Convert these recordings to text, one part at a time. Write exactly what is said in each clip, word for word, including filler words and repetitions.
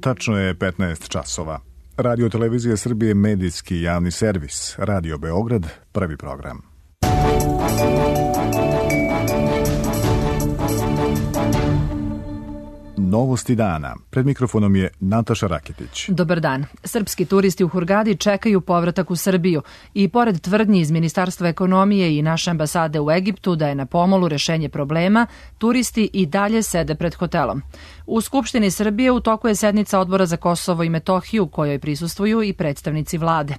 Tačno je petnaest časova. Radio Televizija Srbije, medijski javni servis. Radio Beograd, prvi program. Novosti dana. Pred mikrofonom je Nataša Raketić. Dobar dan. Srpski turisti u Hurgadi čekaju povratak u Srbiju i pored tvrdnji iz Ministarstva ekonomije i naše ambasade u Egiptu da je na pomolu rešenje problema, turisti i dalje sede pred hotelom. U Skupštini Srbije u toku je sednica Odbora za Kosovo i Metohiju, kojoj prisustvuju i predstavnici vlade.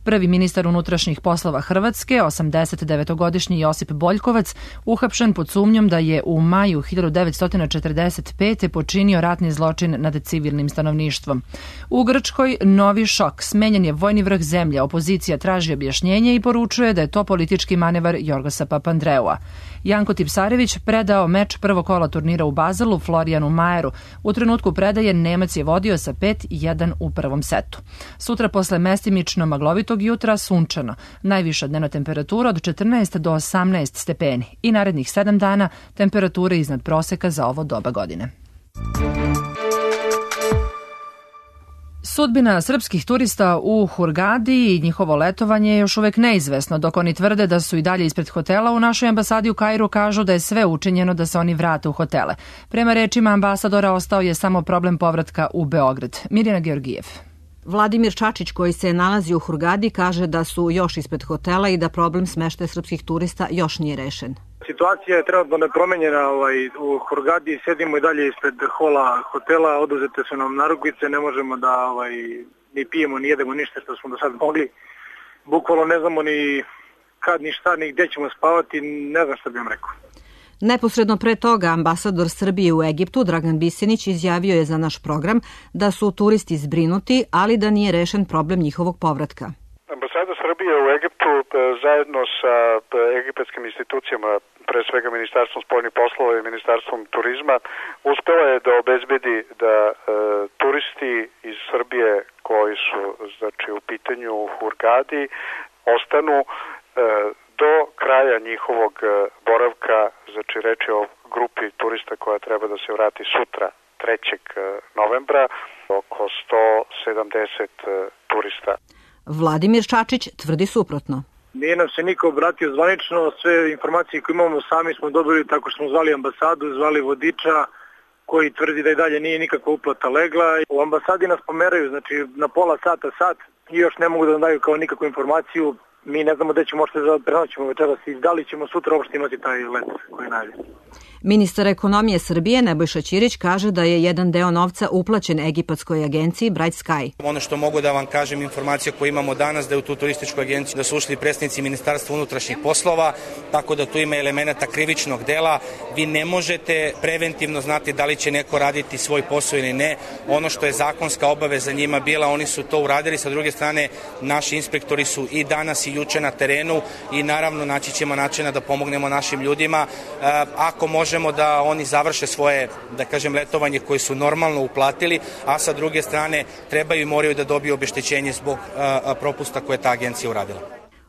Prvi ministar unutrašnjih poslova Hrvatske, osamdesetdevetogodišnji Josip Boljkovac, uhapšen pod sumnjom da je u maju hiljadu devetsto četrdeset pete počinio ratni zločin nad civilnim stanovništvom. U Grčkoj novi šok. Smenjen je vojni vrh zemlje. Opozicija traži objašnjenje i poručuje da je to politički manevar Jorgosa Papandreua. Janko Tipsarević predao meč prvog kola turnira u Bazelu Florijanu Majeru. U trenutku predaje Nemac je vodio sa pet jedan u prvom setu. Sutra posle mestimično maglovitog jutra sunčano. Najviša dnevna temperatura od četrnaest do osamnaest stepeni i narednih sedam dana temperature iznad proseka za ovo doba godine. Sudbina srpskih turista u Hurgadi i njihovo letovanje je još uvek neizvesno, dok oni tvrde da su i dalje ispred hotela. U našoj ambasadi u Kairu kažu da je sve učinjeno da se oni vrate u hotele. Prema rečima ambasadora ostao je samo problem povratka u Beograd. Mirjana Georgijev. Vladimir Čačić, koji se nalazi u Hurgadi, kaže da su još ispred hotela i da problem smeštaja srpskih turista još nije rešen. Situacija je trenutno nepromenjena ovaj, u Hurgadi, sedimo i dalje ispred hola hotela, oduzete su nam narukvice, ne možemo da ovaj, ni pijemo, ni jedemo ništa što smo do sad mogli. Bukvalno ne znamo ni kad, ni šta, ni gde ćemo spavati, ne znam šta bih vam rekao. Neposredno pre toga ambasador Srbije u Egiptu Dragan Bisenić izjavio je za naš program da su turisti zbrinuti, ali da nije rešen problem njihovog povratka. Ambasada Srbije u Egiptu zajedno sa egipatskim institucijama, pre svega Ministarstvom spoljnih poslova i Ministarstvom turizma, uspela je da obezbedi da e, turisti iz Srbije koji su znači, u pitanju u Hurgadi ostanu e, do kraja njihovog boravka, znači reći o grupi turista koja treba da se vrati sutra, trećeg novembra, oko sto sedamdeset turista. Vladimir Čačić tvrdi suprotno. Nije nam se niko obratio zvanično, sve informacije koje imamo sami smo dobili tako što smo zvali ambasadu, zvali vodiča koji tvrdi da i dalje nije nikakva uplata legla. U ambasadi nas pomeraju, znači na pola sata, sat i još ne mogu da nam daju kao nikakvu informaciju. Mi ne znamo gde ćemo možda da prenoćemo večeras i da li ćemo sutra uopšte imati taj let koji je najavljen. Ministar ekonomije Srbije Nebojša Ćirić kaže da je jedan deo novca uplaćen egipatskoj agenciji Bright Sky. Ono što mogu da vam kažem, informacija koju imamo danas, da je u tu turističku agenciju da su ušli predstavnici Ministarstva unutrašnjih poslova, tako da tu ima elemenata krivičnog dela. Vi ne možete preventivno znati da li će neko raditi svoj posao ili ne. Ono što je zakonska obaveza njima bila, oni su to uradili. Sa druge strane, naši inspektori su i danas i juče na terenu i naravno naći ćemo načina da pomognemo našim ljudima. Ako može možemo da oni završe svoje, da kažem, letovanje koje su normalno uplatili, a sa druge strane trebaju i moraju da dobiju obeštećenje zbog a, propusta koje ta agencija uradila.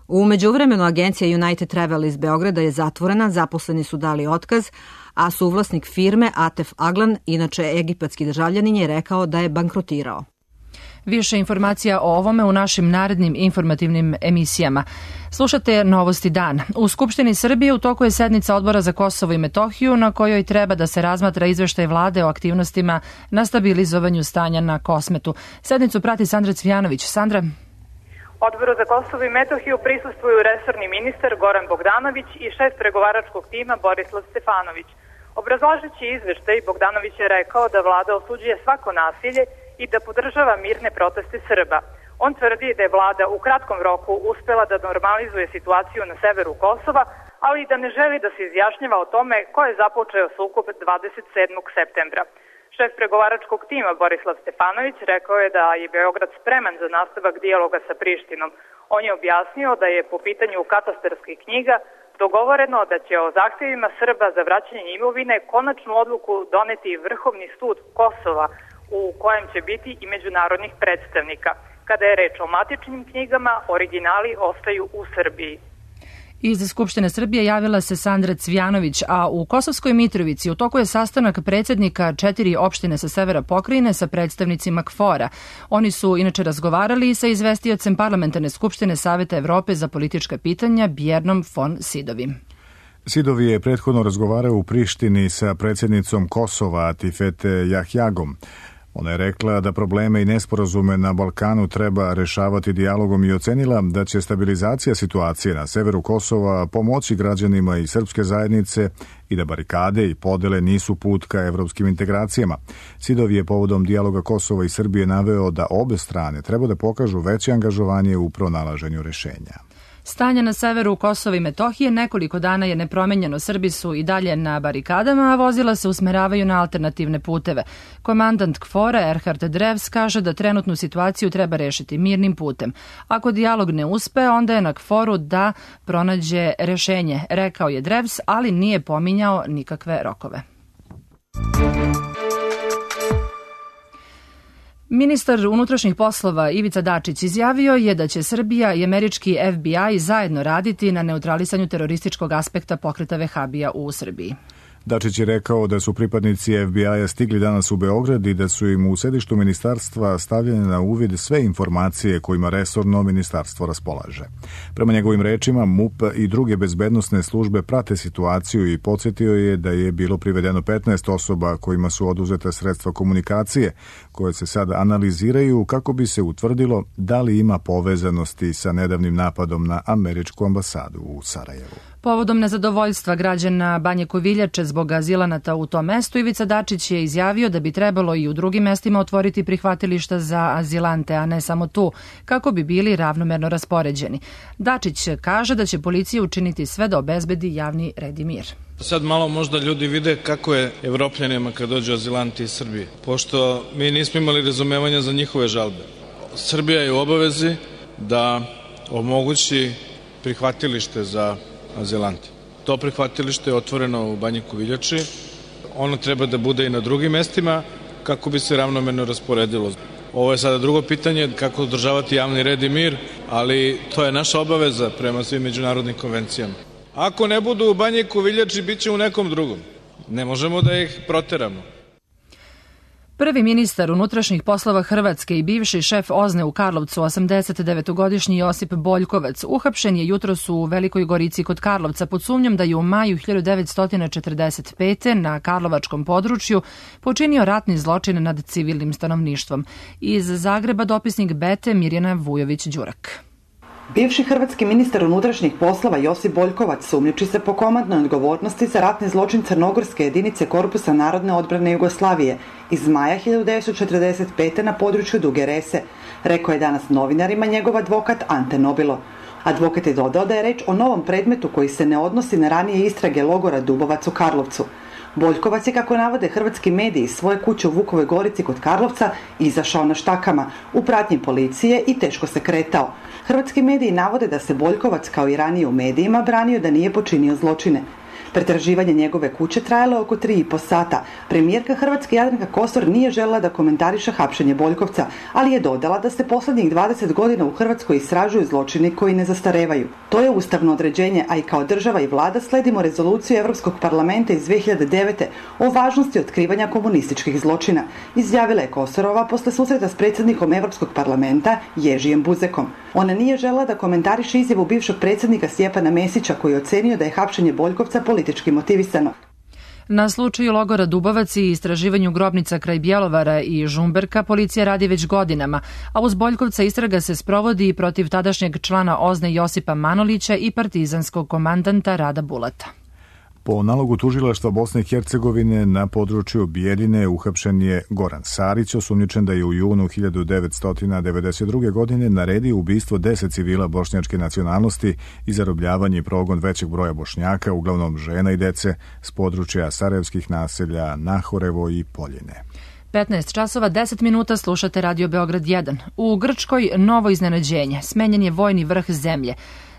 U međuvremenu agencija United Travel iz Beograda je zatvorena, zaposleni su dali otkaz, a suvlasnik firme Atef Aglan, inače egipatski državljanin, je rekao da je bankrotirao. Više informacija o ovome u našim narednim informativnim emisijama. Slušate Novosti dan. U Skupštini Srbije u toku je sednica Odbora za Kosovo i Metohiju na kojoj treba da se razmatra izveštaj vlade o aktivnostima na stabilizovanju stanja na Kosmetu. Sednicu prati Sandra Cvijanović. Sandra. Odboru za Kosovo i Metohiju prisustvuju resorni ministar Goran Bogdanović i šef pregovaračkog tima Borislav Stefanović. Obrazlažući izveštaj, Bogdanović je rekao da vlada osuđuje svako nasilje i da podržava mirne proteste Srba. On tvrdi da je vlada u kratkom roku uspela da normalizuje situaciju na severu Kosova, ali i da ne želi da se izjašnjava o tome ko je započeo sukob dvadeset sedmog septembra. Šef pregovaračkog tima Borislav Stefanović rekao je da je Beograd spreman za nastavak dijaloga sa Prištinom. On je objasnio da je po pitanju katastarskih knjiga dogovoreno da će o zahtjevima Srba za vraćanje imovine konačnu odluku doneti Vrhovni sud Kosova, u kojem će biti i međunarodnih predstavnika. Kada je reč o matičnim knjigama, originali ostaju u Srbiji. Iz Skupštine Srbije javila se Sandra Cvjanović, a u Kosovskoj Mitrovici u toku je sastanak predsjednika četiri opštine sa severa pokrajine sa predstavnicima K F O R-a. Oni su inače razgovarali i sa izvestiocem Parlamentarne skupštine Saveta Evrope za politička pitanja Bjernom von Sidovim. Sidovi je prethodno razgovarao u Prištini sa predsjednicom Kosova Tifete Jahjagom. Ona je rekla da probleme i nesporazume na Balkanu treba rešavati dijalogom i ocenila da će stabilizacija situacije na severu Kosova pomoći građanima i srpske zajednice i da barikade i podele nisu put ka evropskim integracijama. Sidov je povodom dijaloga Kosova i Srbije naveo da obe strane treba da pokažu veće angažovanje u pronalaženju rešenja. Stanje na severu Kosova i Metohije nekoliko dana je nepromenjeno. Srbi su i dalje na barikadama, a vozila se usmeravaju na alternativne puteve. Komandant K F O R-a Erhard Drevs kaže da trenutnu situaciju treba rešiti mirnim putem. Ako dijalog ne uspe, onda je na K F O R-u da pronađe rešenje, rekao je Drevs, ali nije pominjao nikakve rokove. Ministar unutrašnjih poslova Ivica Dačić izjavio je da će Srbija i američki F B I zajedno raditi na neutralisanju terorističkog aspekta pokreta Vehabija u Srbiji. Dačić je rekao da su pripadnici F B I-a stigli danas u Beograd i da su im u sedištu ministarstva stavljene na uvid sve informacije kojima resorno ministarstvo raspolaže. Prema njegovim rečima, M U P i druge bezbednosne službe prate situaciju i podsjetio je da je bilo privedeno petnaest osoba kojima su oduzeta sredstva komunikacije, koje se sad analiziraju kako bi se utvrdilo da li ima povezanosti sa nedavnim napadom na američku ambasadu u Sarajevu. Povodom nezadovoljstva građana Banje Koviljače zbog azilanata u tom mestu, Ivica Dačić je izjavio da bi trebalo i u drugim mestima otvoriti prihvatilišta za azilante, a ne samo tu, kako bi bili ravnomerno raspoređeni. Dačić kaže da će policija učiniti sve da obezbedi javni red i mir. Sad malo možda ljudi vide kako je Evropljanima kad dođu azilanti iz Srbije, pošto mi nismo imali razumevanja za njihove žalbe. Srbija je u obavezi da omogući prihvatilište za azilante. To prihvatilište je otvoreno u Banji Koviljači. Ono treba da bude i na drugim mestima kako bi se ravnomerno rasporedilo. Ovo je sada drugo pitanje, kako održavati javni red i mir, ali to je naša obaveza prema svim međunarodnim konvencijama. Ako ne budu u Banji Koviljači, bit će u nekom drugom. Ne možemo da ih proteramo. Prvi ministar unutrašnjih poslova Hrvatske i bivši šef OZNE u Karlovcu, osamdesetdevetogodišnji Josip Boljkovac, uhapšen je jutros u Velikoj Gorici kod Karlovca pod sumnjom da je u maju hiljadu devetsto četrdeset pete. na karlovačkom području počinio ratni zločin nad civilnim stanovništvom. Iz Zagreba dopisnik Bete Mirjana Vujović-Đurak. Bivši hrvatski ministar unutrašnjih poslova Josip Boljkovac sumnjiči se po komandnoj odgovornosti za ratni zločin crnogorske jedinice Korpusa narodne odbrane Jugoslavije iz maja hiljadu devetsto četrdeset pete. na području Duge Rese, rekao je danas novinarima njegov advokat Ante Nobilo. Advokat je dodao da je reč o novom predmetu koji se ne odnosi na ranije istrage logora Dubovac u Karlovcu. Boljkovac je, kako navode hrvatski mediji, iz svoje kuće u Vukovoj Gorici kod Karlovca izašao na štakama u pratnji policije i teško se kretao. Hrvatski mediji navode da se Boljkovac, kao i ranije u medijima, branio da nije počinio zločine. Pretraživanje njegove kuće trajalo oko tri i po sata. Premijerka Hrvatske Jadranka Kosor nije željela da komentariše hapšenje Boljkovca, ali je dodala da se posljednjih dvadeset godina u Hrvatskoj istražuju zločini koji ne zastarevaju. To je ustavno određenje, a i kao država i vlada sledimo rezoluciju Europskog parlamenta iz dve hiljade devete. o važnosti otkrivanja komunističkih zločina, izjavila je Kosorova posle susreta s predsjednikom Europskog parlamenta Ježijem Buzekom. Ona nije željela da komentariše izjavu bivšeg predsjednika Stjepana Mesića, koji je ocenio da je hapšenje Boljkovca politički motivisano. Na slučaju logora Dubovac i istraživanju grobnica kraj Bjelovara i Žumberka policija radi već godinama, a uz Boljkovca istraga se sprovodi i protiv tadašnjeg člana OZNE Josipa Manolića i partizanskog komandanta Rada Bulata. Po nalogu tužilaštva Bosne i Hercegovine na području Bijeljine uhapšen je Goran Sarić, osumnjičen da je u junu hiljadu devetsto devedeset druge. godine naredio ubistvo deset civila bošnjačke nacionalnosti i zarobljavanje i progon većeg broja Bošnjaka, uglavnom žena i dece, s područja sarajevskih naselja Nahorevo i Poljine. petnaest časova deset minuta, slušate Radio Beograd jedan. U Grčkoj novo iznenađenje. Smenjen je vojni vrh zemlje.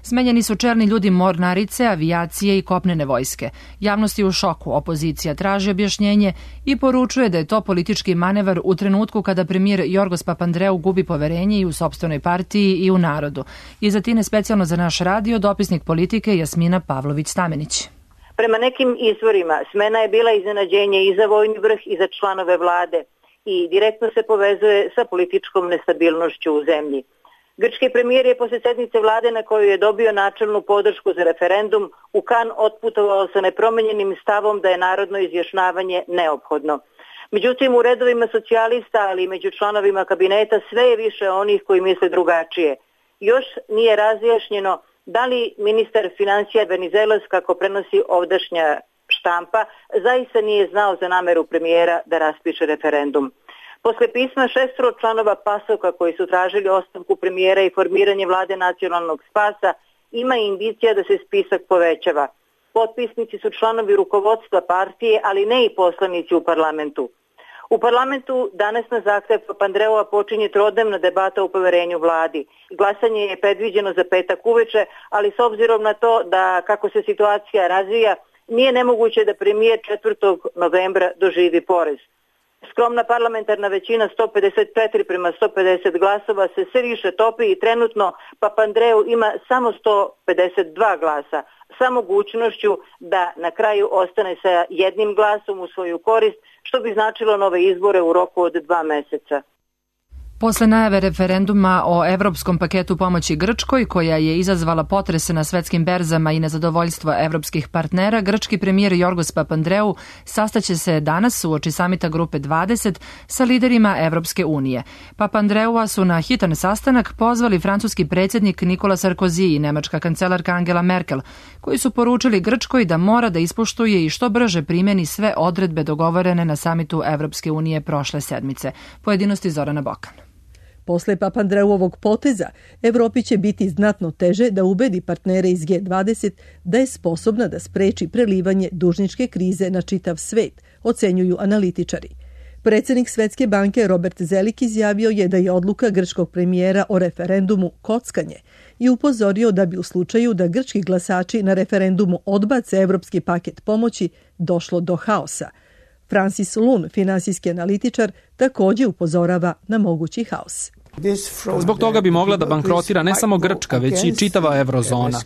Smenjeni su čelni ljudi mornarice, avijacije i kopnene vojske. Javnost je u šoku, opozicija traži objašnjenje i poručuje da je to politički manevar u trenutku kada premijer Jorgos Papandreou gubi poverenje i u sopstvenoj partiji i u narodu. Iz Atine specijalno za naš radio dopisnik politike Jasmina Pavlović-Stamenić. Prema nekim izvorima smena je bila iznenađenje i za vojni vrh i za članove vlade i direktno se povezuje sa političkom nestabilnošću u zemlji. Grčki premijer je posle sednice vlade na kojoj je dobio načelnu podršku za referendum u Kan otputovao sa nepromenjenim stavom da je narodno izjašnjavanje neophodno. Međutim, u redovima socijalista, ali i među članovima kabineta sve je više onih koji misle drugačije. Još nije razjašnjeno da li ministar financija Venizelos, kako prenosi ovdašnja štampa, zaista nije znao za nameru premijera da raspiše referendum. Posle pisma šestoro članova PASOK-a koji su tražili ostavku premijera i formiranje vlade nacionalnog spasa, ima indicija da se spisak povećava. Potpisnici su članovi rukovodstva partije, ali ne i poslanici u parlamentu. U parlamentu danas na zahtev Papandreua počinje trodnevna debata o poverenju vladi. Glasanje je predviđeno za petak uveče, ali s obzirom na to da kako se situacija razvija, nije nemoguće da premijer četvrtog novembra doživi porez. Skromna parlamentarna većina sto pedeset četiri prema sto pedeset glasova se sve više topi i trenutno Papandreou ima samo sto pedeset dva glasa, sa mogućnošću da na kraju ostane sa jednim glasom u svoju korist, što bi značilo nove izbore u roku od dva meseca. Posle najave referenduma o evropskom paketu pomoći Grčkoj, koja je izazvala potrese na svetskim berzama i nezadovoljstvo evropskih partnera, grčki premijer Jorgos Papandreou sastaće se danas uoči samita Grupe dvadeset sa liderima Evropske unije. Papandreua su na hitan sastanak pozvali francuski predsjednik Nicolas Sarkozy i nemačka kancelarka Angela Merkel, koji su poručili Grčkoj da mora da ispoštuje i što brže primeni sve odredbe dogovorene na samitu Evropske unije prošle sedmice. Pojedinosti Zorana Bokan. Posle Papandreouovog poteza, Evropi će biti znatno teže da ubedi partnere iz G dvadeset da je sposobna da spreči prelivanje dužničke krize na čitav svet, ocenjuju analitičari. Predsjednik Svetske banke Robert Zelik izjavio je da je odluka grčkog premijera o referendumu kockanje i upozorio da bi u slučaju da grčki glasači na referendumu odbace evropski paket pomoći došlo do haosa. Francis Lun, finansijski analitičar, također upozorava na mogući haos. Zbog toga bi mogla da bankrotira ne samo Grčka, već i čitava eurozona.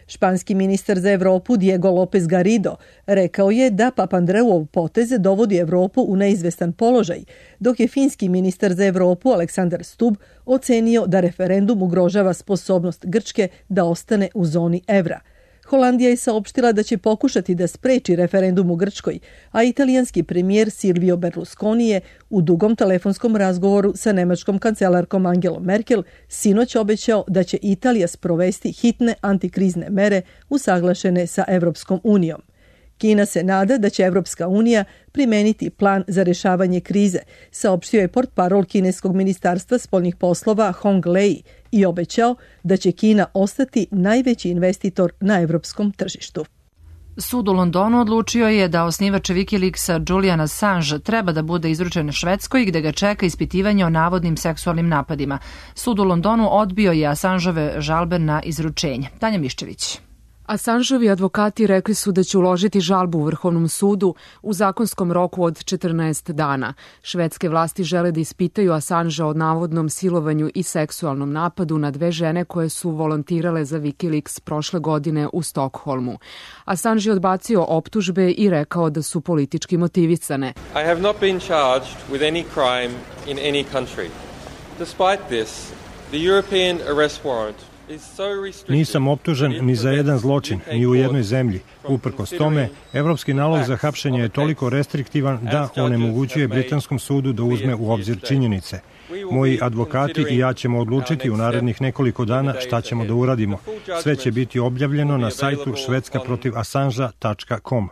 Španski ministar za Evropu Diego López Garrido rekao je da Papandreouov potez dovodi Evropu u neizvestan položaj, dok je finski ministar za Evropu Aleksandar Stubb ocenio da referendum ugrožava sposobnost Grčke da ostane u zoni evra. Holandija je saopštila da će pokušati da spreči referendum u Grčkoj, a italijanski premijer Silvio Berlusconi je u dugom telefonskom razgovoru sa nemačkom kancelarkom Angelom Merkel sinoć obećao da će Italija sprovesti hitne antikrizne mere usaglašene sa Evropskom unijom. Kina se nada da će Evropska unija primeniti plan za rešavanje krize, saopštio je portparol kineskog ministarstva spoljnih poslova Hong Lei i obećao da će Kina ostati najveći investitor na evropskom tržištu. Sud u Londonu odlučio je da osnivač Wikileaksa Julian Assange treba da bude izručen Švedskoj gde ga čeka ispitivanje o navodnim seksualnim napadima. Sud u Londonu odbio je Assangeove žalbe na izručenje. Tanja Miščević. Assangeovi advokati rekli su da će uložiti žalbu u Vrhovnom sudu u zakonskom roku od četrnaest dana. Švedske vlasti žele da ispitaju Assangea o navodnom silovanju i seksualnom napadu na dve žene koje su volontirale za Wikileaks prošle godine u Stokholmu. Assange je odbacio optužbe i rekao da su politički motivisane. I have not been charged with any crime in any country. Despite this, the European arrest warrant Nisam optužen ni za jedan zločin, ni u jednoj zemlji. Uprkos tome, evropski nalog za hapšenje je toliko restriktivan da onemogućuje britanskom sudu da uzme u obzir činjenice. Moji advokati i ja ćemo odlučiti u narednih nekoliko dana šta ćemo da uradimo. Sve će biti objavljeno na sajtu švedska protiv assangea tačka com.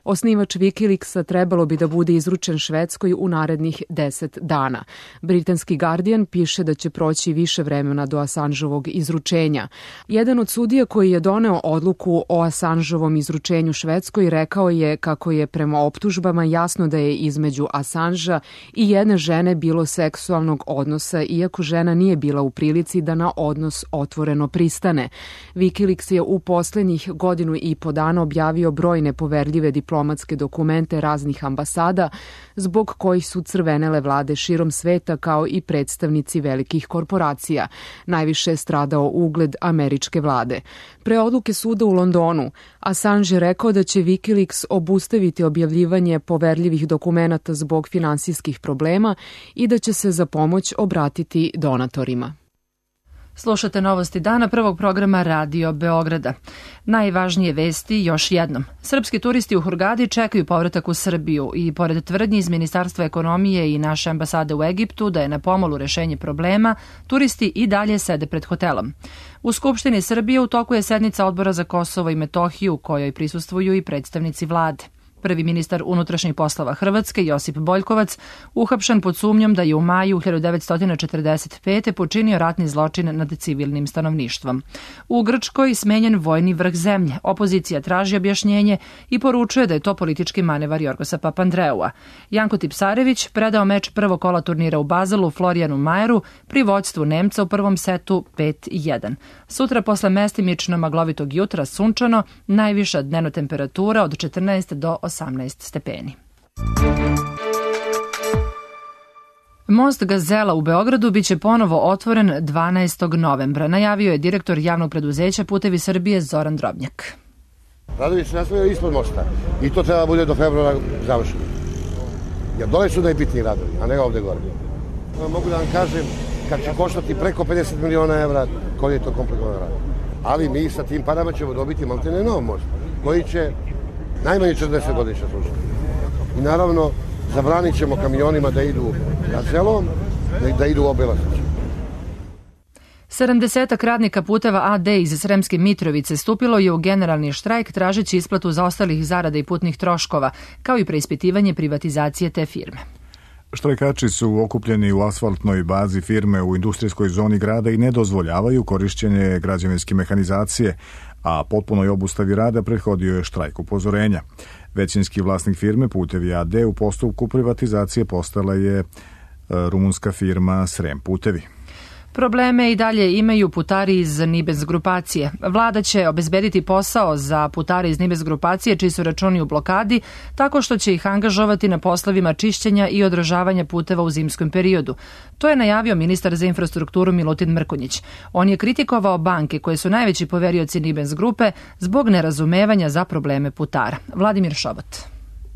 Osnivač Wikileaksa trebalo bi da bude izručen Švedskoj u narednih deset dana. Britanski Guardian piše da će proći više vremena do Assangeovog izručenja. Jedan od sudija koji je doneo odluku o Assangeovom izručenju Švedskoj rekao je kako je prema optužbama jasno da je između Assangea i jedne žene bilo seksualnog odnosa, iako žena nije bila u prilici da na odnos otvoreno pristane. Wikileaks je u poslednjih godinu i po dana objavio brojne poverljive diplomatske dokumente raznih ambasada, zbog kojih su crvenele vlade širom sveta kao i predstavnici velikih korporacija. Najviše je stradao ugled američke vlade. Pre odluke suda u Londonu, Assange je rekao da će Wikileaks obustaviti objavljivanje poverljivih dokumenata zbog finansijskih problema i da će se za pomoć obratiti donatorima. Slušate novosti dana prvog programa Radio Beograda. Najvažnije vesti još jednom. Srpski turisti u Hurgadi čekaju povratak u Srbiju i pored tvrdnji iz Ministarstva ekonomije i naše ambasade u Egiptu da je na pomolu rešenje problema, turisti i dalje sede pred hotelom. U Skupštini Srbije u toku je sednica Odbora za Kosovo i Metohiju u kojoj prisustvuju i predstavnici vlade. Prvi ministar unutrašnjih poslova Hrvatske, Josip Boljkovac, uhapšen pod sumnjom da je u maju hiljadu devetsto četrdeset pete. počinio ratni zločin nad civilnim stanovništvom. U Grčkoj smenjen vojni vrh zemlje. Opozicija traži objašnjenje i poručuje da je to politički manevar Jorgosa Papandreua. Janko Tipsarević predao meč prvog kola turnira u Bazelu Florijanu Majeru pri vođstvu Nemca u prvom setu pet jedan. Sutra posle mestimično maglovitog jutra sunčano, najviša dnevna temperatura od četrnaest do osamnaest stepeni. Most Gazela u Beogradu biće ponovo otvoren dvanaestog novembra, najavio je direktor javnog preduzeća Putevi Srbije Zoran Drobnjak. Radovi se nastavljaju ispod mosta i to treba bude do februara završeno. Jer dole su najbitniji radovi, a ne ovde gore. Mogu da vam kažem, kad će koštati preko pedeset miliona evra, koji je to komplikovan rad. Ali mi sa tim parama ćemo dobiti maltene nov most, koji će najmanje četrdeset godina služiti. I naravno, zabranit ćemo kamionima da idu Gazelom, da idu u Obilaznicu. sedamdesetak radnika Puteva A D iz Sremske Mitrovice stupilo je u generalni štrajk tražeći isplatu zaostalih zarada i putnih troškova, kao i preispitivanje privatizacije te firme. Štrajkači su okupljeni u asfaltnoj bazi firme u industrijskoj zoni grada i ne dozvoljavaju korišćenje građevinske mehanizacije, a potpunoj obustavi rada prethodio je štrajk upozorenja. Većinski vlasnik firme Putevi A D u postupku privatizacije postala je rumunska firma Srem Putevi. Probleme i dalje imaju putari iz Nibens grupacije. Vlada će obezbediti posao za putare iz Nibens grupacije čiji su računi u blokadi, tako što će ih angažovati na poslovima čišćenja i održavanja puteva u zimskom periodu. To je najavio ministar za infrastrukturu Milutin Mrkonjić. On je kritikovao banke koje su najveći poverioci Nibens grupe zbog nerazumevanja za probleme putara. Vladimir Šobot.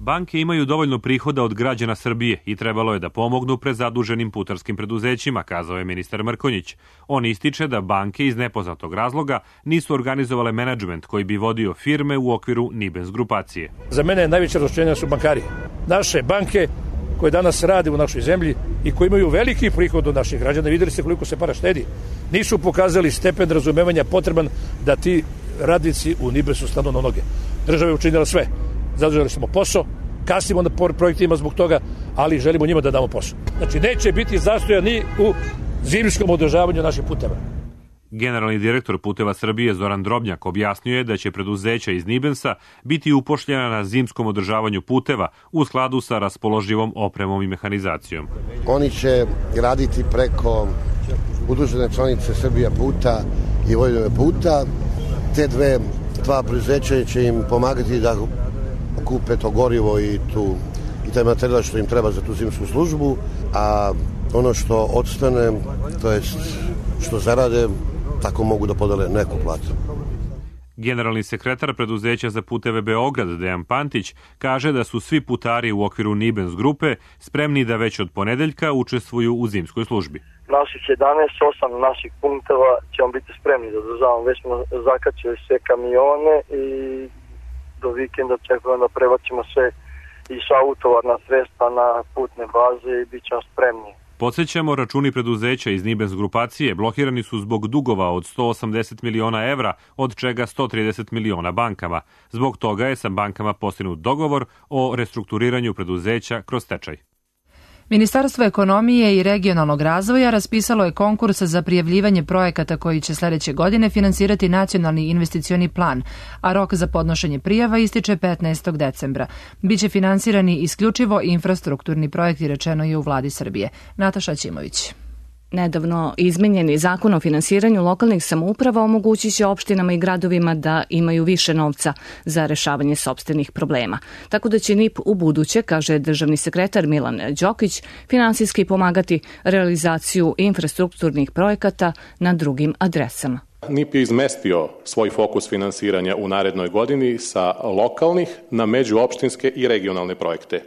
Banke imaju dovoljno prihoda od građana Srbije i trebalo je da pomognu prezaduženim putarskim preduzećima, kazao je ministar Mrkonjić. On ističe da banke iz nepoznatog razloga nisu organizovale menadžment koji bi vodio firme u okviru Nibens grupacije. Za mene najveće razočarenje su bankari. Naše banke koje danas rade u našoj zemlji i koji imaju veliki prihod od naših građana, videli ste koliko se para štedi, nisu pokazali stepen razumevanja potreban da ti radnici u Nibensu stanu na noge. Država je učinila sve. Zadržali smo posao, kasnimo na projektima zbog toga, ali želimo njima da damo posao. Znači, neće biti zastoja ni u zimskom održavanju naših puteva. Generalni direktor Puteva Srbije Zoran Drobnjak objasnio je da će preduzeća iz Nibensa biti upošljena na zimskom održavanju puteva u skladu sa raspoloživom opremom i mehanizacijom. Oni će raditi preko udružene članice Srbija puta i Vojvodine puta. Te dve, dva preduzeća će im pomagati da kupe to gorivo i, tu, i taj materijal što im treba za tu zimsku službu, a ono što odstane, to jest što zarade, tako mogu da podele neku platu. Generalni sekretar preduzeća za puteve Beograd, Dejan Pantić, kaže da su svi putari u okviru Nibens grupe spremni da već od ponedeljka učestvuju u zimskoj službi. Naših jedanaest, osam naših punkteva ćemo biti spremni da održavamo. Već smo zakačili sve kamione i do vikenda očekujemo da prebacimo sve i sva utovarna sredstva na putne baze i bit ćemo spremni. Podsjećamo, računi preduzeća iz Nibens grupacije blokirani su zbog dugova od sto osamdeset miliona evra, od čega sto trideset miliona bankama. Zbog toga je sa bankama postignut dogovor o restrukturiranju preduzeća kroz stečaj. Ministarstvo ekonomije i regionalnog razvoja raspisalo je konkurs za prijavljivanje projekata koji će sledeće godine finansirati nacionalni investicioni plan, a rok za podnošenje prijava ističe petnaestog decembra. Biće finansirani isključivo infrastrukturni projekti, rečeno je u vladi Srbije. Nataša Ćimović. Nedavno izmenjeni zakon o finansiranju lokalnih samouprava omogućit će opštinama i gradovima da imaju više novca za rešavanje sopstvenih problema. Tako da će N I P u buduće, kaže državni sekretar Milan Đokić, finansijski pomagati realizaciju infrastrukturnih projekata na drugim adresama. N I P je izmestio svoj fokus finansiranja u narednoj godini sa lokalnih na međuopštinske i regionalne projekte.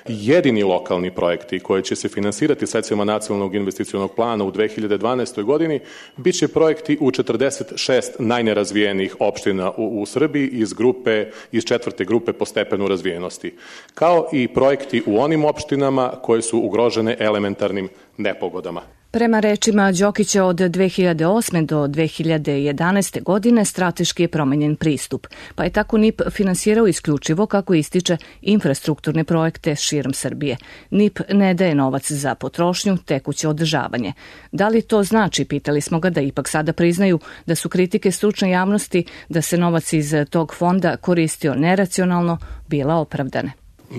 Jedini lokalni projekti koji će se finansirati sredstvima nacionalnog investicionog plana u dve hiljade dvanaestoj godini biće projekti u četrdeset šest najnerazvijenijih opština u, u Srbiji iz grupe iz četvrte grupe po stepenu razvijenosti, kao i projekti u onim opštinama koje su ugrožene elementarnim nepogodama. Prema rečima Đokića, od dve hiljade osme do dve hiljade jedanaeste godine strateški je promenjen pristup, pa je tako N I P finansirao isključivo, kako ističe, infrastrukturne projekte širom Srbije. N I P ne daje novac za potrošnju, tekuće održavanje. Da li to znači, pitali smo ga, da ipak sada priznaju da su kritike stručne javnosti da se novac iz tog fonda koristio neracionalno bila opravdane?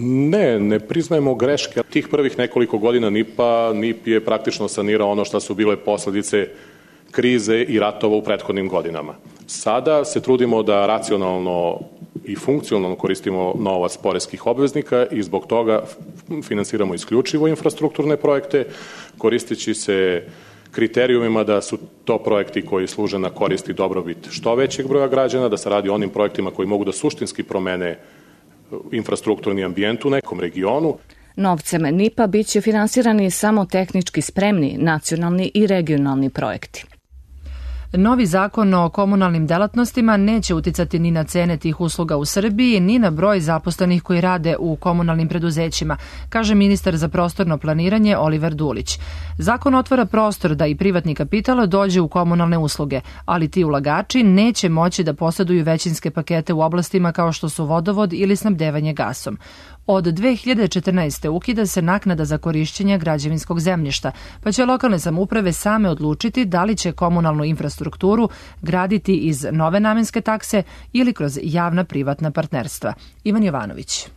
Ne, ne priznajemo greške. Tih prvih nekoliko godina N I P-a, N I P je praktično sanirao ono što su bile posledice krize i ratova u prethodnim godinama. Sada se trudimo da racionalno i funkcionalno koristimo novac poreskih obveznika i zbog toga finansiramo isključivo infrastrukturne projekte, koristeći se kriterijumima da su to projekti koji služe na korist i dobrobit što većeg broja građana, da se radi o onim projektima koji mogu da suštinski promene infrastrukturni ambijent u nekom regionu. Novcem N I P-a biće finansirani samo tehnički spremni nacionalni i regionalni projekti. Novi zakon o komunalnim delatnostima neće uticati ni na cene tih usluga u Srbiji, ni na broj zaposlenih koji rade u komunalnim preduzećima, kaže ministar za prostorno planiranje Oliver Dulić. Zakon otvara prostor da i privatni kapital dođe u komunalne usluge, ali ti ulagači neće moći da posjeduju većinske pakete u oblastima kao što su vodovod ili snabdevanje gasom. Od dve hiljade četrnaeste. ukida se naknada za korišćenje građevinskog zemljišta, pa će lokalne samouprave same odlučiti da li će komunalnu infrastrukturu graditi iz nove namenske takse ili kroz javna privatna partnerstva. Ivan Jovanović.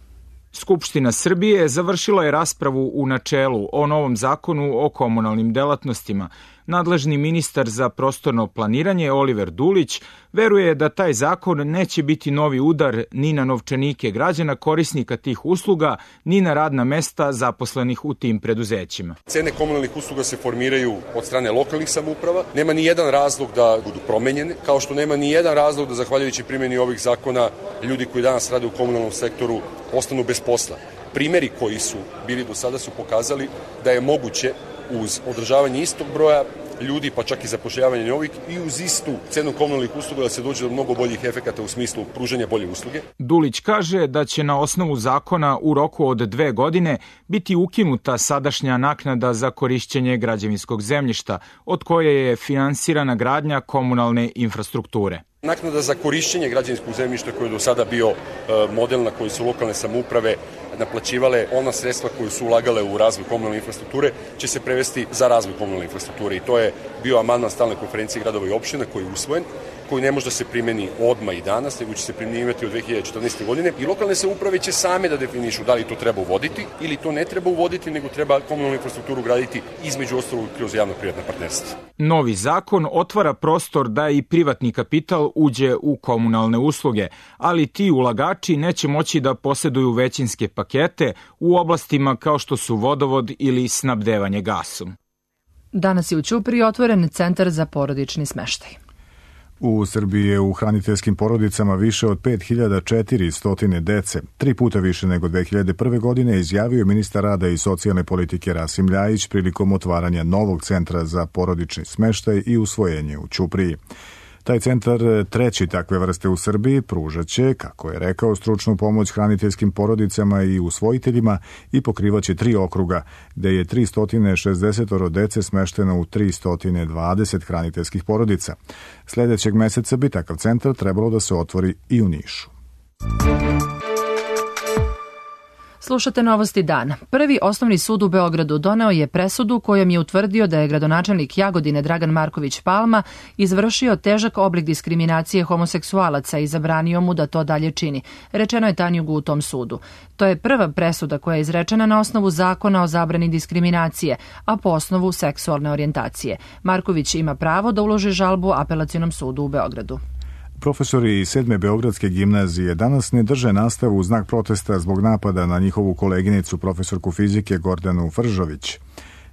Skupština Srbije završila je raspravu u načelu o novom zakonu o komunalnim delatnostima. Nadležni ministar za prostorno planiranje Oliver Dulić veruje da taj zakon neće biti novi udar ni na novčanike građana korisnika tih usluga, ni na radna mesta zaposlenih u tim preduzećima. Cene komunalnih usluga se formiraju od strane lokalnih samouprava. Nema ni jedan razlog da budu promenjene, kao što nema ni jedan razlog da zahvaljujući primjeni ovih zakona ljudi koji danas rade u komunalnom sektoru ostanu bez posla. Primeri koji su bili do sada su pokazali da je moguće uz održavanje istog broja ljudi, pa čak i zapošljavanje novih, i uz istu cenu komunalnih usluga da se dođe do mnogo boljih efekata u smislu pružanja bolje usluge. Dulić kaže da će na osnovu zakona u roku od dve godine biti ukinuta sadašnja naknada za korišćenje građevinskog zemljišta, od koje je finansirana gradnja komunalne infrastrukture. Naknada za korišćenje građevinskog zemljišta koji je do sada bio model na koji su lokalne samouprave naplaćivale ona sredstva koje su ulagale u razvoj komunalne infrastrukture će se prevesti za razvoj komunalne infrastrukture i to je bio amandman stalne konferencije gradova i opština koji je usvojen, koji ne može da se primeni odmah i danas, nego će se primenjivati od dve hiljade četrnaeste. godine i lokalne samouprave će same da definišu da li to treba uvoditi ili to ne treba uvoditi, nego treba komunalnu infrastrukturu graditi između ostalog kroz javno-privatna partnerstva. Novi zakon otvara prostor da i privatni kapital uđe u komunalne usluge, ali ti ulagači neće moći da posjeduju većinske pakete u oblastima kao što su vodovod ili snabdevanje gasom. Danas je u Ćupriji otvoren centar za porodični smeštaj. U Srbiji je u hraniteljskim porodicama više od pet hiljada četiristo dece, tri puta više nego dve hiljade prve. godine, izjavio ministar rada i socijalne politike Rasim Ljajić prilikom otvaranja novog centra za porodični smeštaj i usvojenje u Ćupriji. Taj centar, treći takve vrste u Srbiji, pružaće, kako je rekao, stručnu pomoć hraniteljskim porodicama i usvojiteljima i pokrivaće tri okruga, gde je tristo šezdeset dece smešteno u tristo dvadeset hraniteljskih porodica. Sljedećeg meseca bi takav centar trebalo da se otvori i u Nišu. Slušate novosti dana. Prvi osnovni sud u Beogradu doneo je presudu kojom je utvrdio da je gradonačelnik Jagodine Dragan Marković Palma izvršio težak oblik diskriminacije homoseksualaca i zabranio mu da to dalje čini. Rečeno je Tanjugu u tom sudu. To je prva presuda koja je izrečena na osnovu zakona o zabrani diskriminacije, a po osnovu seksualne orijentacije. Marković ima pravo da uloži žalbu Apelacionom sudu u Beogradu. Profesori iz sedme Beogradske gimnazije danas ne drže nastavu u znak protesta zbog napada na njihovu koleginicu, profesorku fizike Gordanu Fržović.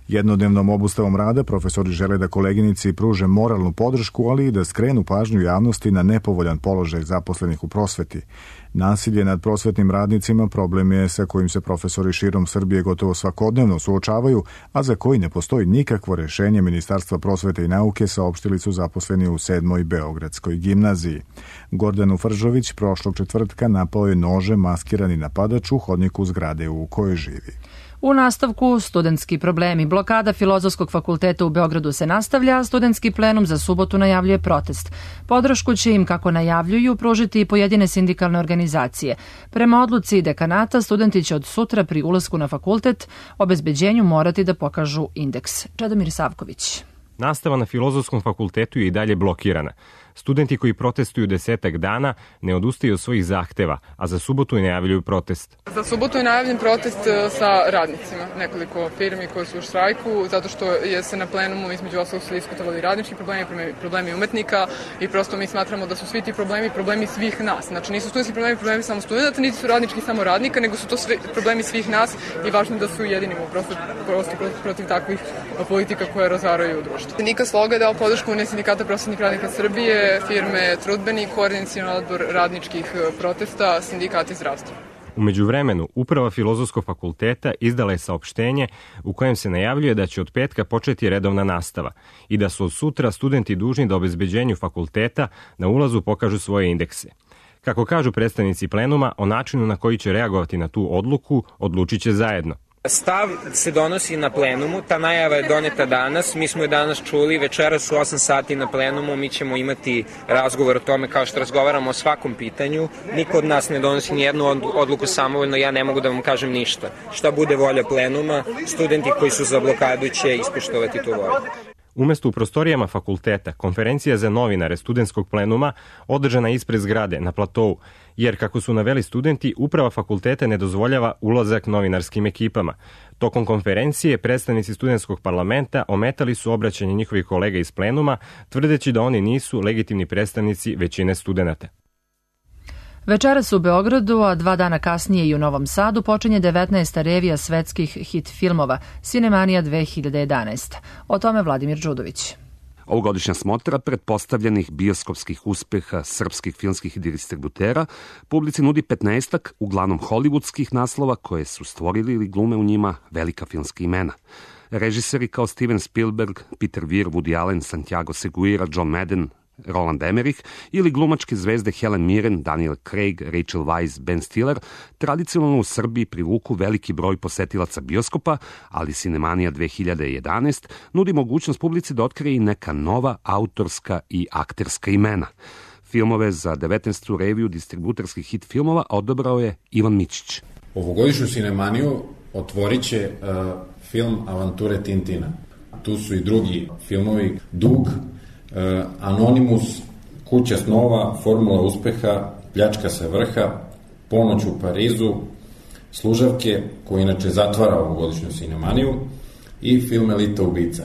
Jednodnevnom obustavom rada profesori žele da koleginici pruže moralnu podršku, ali i da skrenu pažnju javnosti na nepovoljan položaj zaposlenih u prosveti. Nasilje nad prosvetnim radnicima problem je sa kojim se profesori širom Srbije gotovo svakodnevno suočavaju, a za koji ne postoji nikakvo rešenje Ministarstva prosvete i nauke, saopštili su zaposleni u sedmoj Beogradskoj gimnaziji. Gordanu Fržović prošlog četvrtka napao je nožem maskirani napadač u hodniku zgrade u kojoj živi. U nastavku, studentski problemi. Blokada Filozofskog fakulteta u Beogradu se nastavlja, a studentski plenum za subotu najavljuje protest. Podršku će im, kako najavljuju, pružiti i pojedine sindikalne organizacije. Prema odluci dekanata, studenti će od sutra pri ulasku na fakultet obezbeđenju morati da pokažu indeks. Čedomir Savković. Nastava na Filozofskom fakultetu je i dalje blokirana. Studenti koji protestuju desetak dana ne odustaju od svojih zahteva, a za subotu i najavljuju protest. Za subotu je najavljen protest sa radnicima, nekoliko firmi koje su u štrajku, zato što je se na plenumu između ostalog su diskutovali radnički problemi, problemi umetnika i prosto mi smatramo da su svi ti problemi problemi svih nas. Znači nisu studentski problemi problemi samo studenta, niti su radnički samo radnika, nego su to sve problemi svih nas i važno je da su ujedinimo prosto, prosto protiv takvih politika koje razaraju društvo. Nika Sloga je dao podršku Unije sindikata prosvetnih radnika Srbije, firme Trudbeni, koordinacioni odbor radničkih protesta, sindikati zdravstva. U međuvremenu, Uprava Filozofskog fakulteta izdala je saopštenje u kojem se najavljuje da će od petka početi redovna nastava i da su od sutra studenti dužni da obezbeđenju fakulteta na ulazu pokažu svoje indekse. Kako kažu predstavnici plenuma, o načinu na koji će reagovati na tu odluku odlučit će zajedno. Stav se donosi na plenumu, ta najava je doneta danas, mi smo je danas čuli, večeras u osam sati na plenumu, mi ćemo imati razgovor o tome kao što razgovaramo o svakom pitanju, niko od nas ne donosi nijednu odluku samovoljno, ja ne mogu da vam kažem ništa. Šta bude volja plenuma, studenti koji su za blokadu će ispoštovati tu volju. Umesto u prostorijama fakulteta, konferencija za novinare studentskog plenuma održana ispred zgrade na platovu, jer kako su naveli studenti, uprava fakulteta ne dozvoljava ulazak novinarskim ekipama. Tokom konferencije predstavnici studentskog parlamenta ometali su obraćanje njihovih kolega iz plenuma, tvrdeći da oni nisu legitimni predstavnici većine studenata. Večeras u Beogradu, a dva dana kasnije i u Novom Sadu, počinje devetnaesta revija svetskih hit filmova Cinemanija dve hiljade jedanaest. O tome Vladimir Đudović. Ovogodišnja smotra pretpostavljenih bioskopskih uspeha srpskih filmskih distributera publici nudi petnaestak, uglavnom hollywoodskih naslova koje su stvorili ili glume u njima velika filmska imena. Režiseri kao Steven Spielberg, Peter Weir, Woody Allen, Santiago Segura, John Madden, Roland Emmerich ili glumačke zvezde Helen Mirren, Daniel Craig, Rachel Weisz, Ben Stiller tradicionalno u Srbiji privuku veliki broj posetilaca bioskopa, ali Cinemanija dve hiljade jedanaest nudi mogućnost publici da otkrije i neka nova autorska i akterska imena. Filmove za devetnaestu reviju distributerskih hit filmova odabrao je Ivan Mićić. Ovogodišnju Cinemaniju otvorit će uh, film Avanture Tintina. Tu su i drugi filmovi, Dug, Uh, Anonimus, Kuća snova, Formula uspeha, Pljačka sa vrha, Ponoć u Parizu, Služavke, koji inače zatvara ovogodišnju Cinemaniju, i film Elita ubica.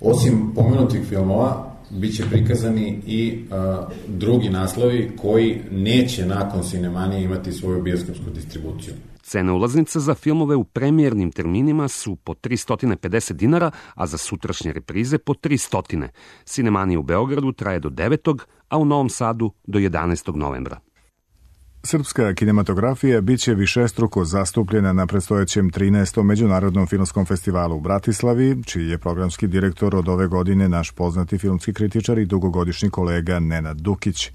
Osim pomenutih filmova, bit će prikazani i uh, drugi naslovi koji neće nakon Cinemanije imati svoju bioskopsku distribuciju. Cene ulaznica za filmove u premijernim terminima su po tristo pedeset dinara, a za sutrašnje reprize po tristo. Cinemanija u Beogradu traje do devetog, a u Novom Sadu do jedanaestog novembra. Srpska kinematografija biće višestruko zastupljena na predstojećem trinaestom Međunarodnom filmskom festivalu u Bratislavi, čiji je programski direktor od ove godine naš poznati filmski kritičar i dugogodišnji kolega Nenad Dukić.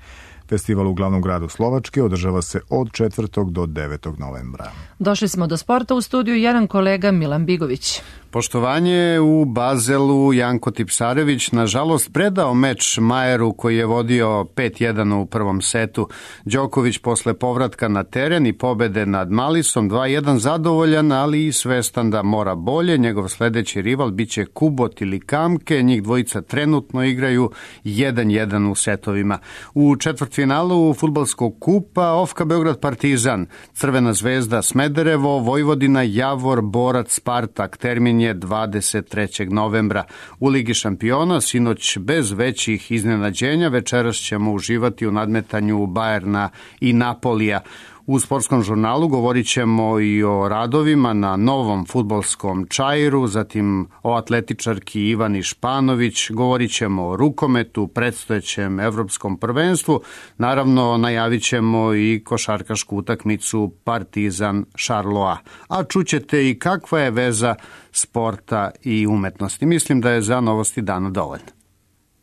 Festival u glavnom gradu Slovačke održava se od četvrtog do devetog novembra. Došli smo do sporta, u studiju jedan kolega Milan Bigović. Poštovanje u Bazelu, Janko Tipsarević nažalost predao meč Majeru koji je vodio pet jedan u prvom setu. Đoković posle povratka na teren i pobede nad Malisom dva jedan zadovoljan, ali i svestan da mora bolje. Njegov sledeći rival biće Kubot ili Kamke, njih dvojica trenutno igraju jedan jedan u setovima. U četvrtfinalu fudbalskog kupa Ofka Beograd Partizan, Crvena zvezda Smederevo, Vojvodina Javor, Borac Spartak, termin je dvadeset trećeg novembra. U Ligi šampiona sinoć bez većih iznenađenja, večeras ćemo uživati u nadmetanju Bajerna i Napolija. U sportskom žurnalu govorit ćemo i o radovima na novom fudbalskom čairu, zatim o atletičarki Ivani Španović, govorit ćemo o rukometu, predstojećem evropskom prvenstvu, naravno najavit ćemo i košarkašku utakmicu Partizan Šarloa. A čućete i kakva je veza sporta i umetnosti. Mislim da je za novosti dana dovoljno.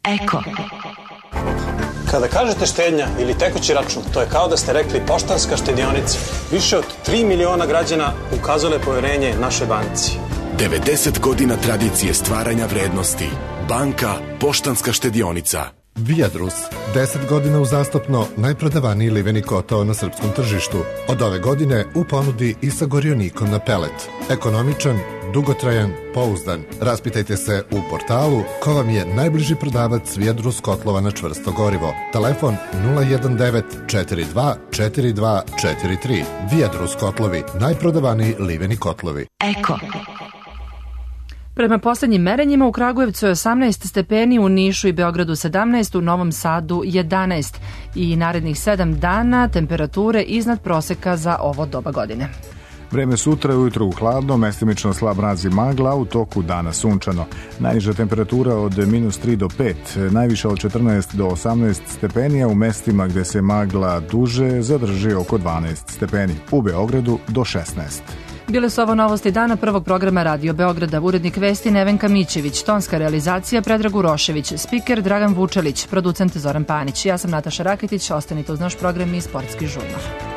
Eko. Kada kažete štednja ili tekući račun, to je kao da ste rekli Poštanska štedionica. Više od tri miliona građana ukazalo je poverenje našoj banci. devedeset godina tradicije stvaranja vrednosti. Banka Poštanska štedionica. Viadrus, deset godina uzastopno najprodavaniji liveni kotao na srpskom tržištu. Od ove godine u ponudi i sa gorionikom na pelet. Ekonomičan, dugotrajan, pouzdan. Raspitajte se u portalu ko vam je najbliži prodavac Viadrus kotlova na čvrsto gorivo. Telefon nula jedan devet četiri dva četiri dva četiri tri. Viadrus kotlovi, najprodavaniji liveni kotlovi. Eko. Prema poslednjim merenjima u Kragujevcu je osamnaest stepeni, u Nišu i Beogradu sedamnaest, u Novom Sadu jedanaest i narednih sedam dana temperature iznad proseka za ovo doba godine. Vreme sutra ujutro u hladno, mestimično slab mraz i magla, u toku dana sunčano. Najniža temperatura od minus tri do pet, najviša od četrnaest do osamnaest stepeni, a u mestima gde se magla duže zadrži oko dvanaest stepeni. U Beogradu do šesnaest. Bile su ovo novosti dana prvog programa Radio Beograda. Urednik vesti Nevenka Mićević, tonska realizacija Predrag Urošević, spiker Dragan Vučelić, producent Zoran Panić. Ja sam Nataša Raketić, ostanite uz naš program i sportski žurnal.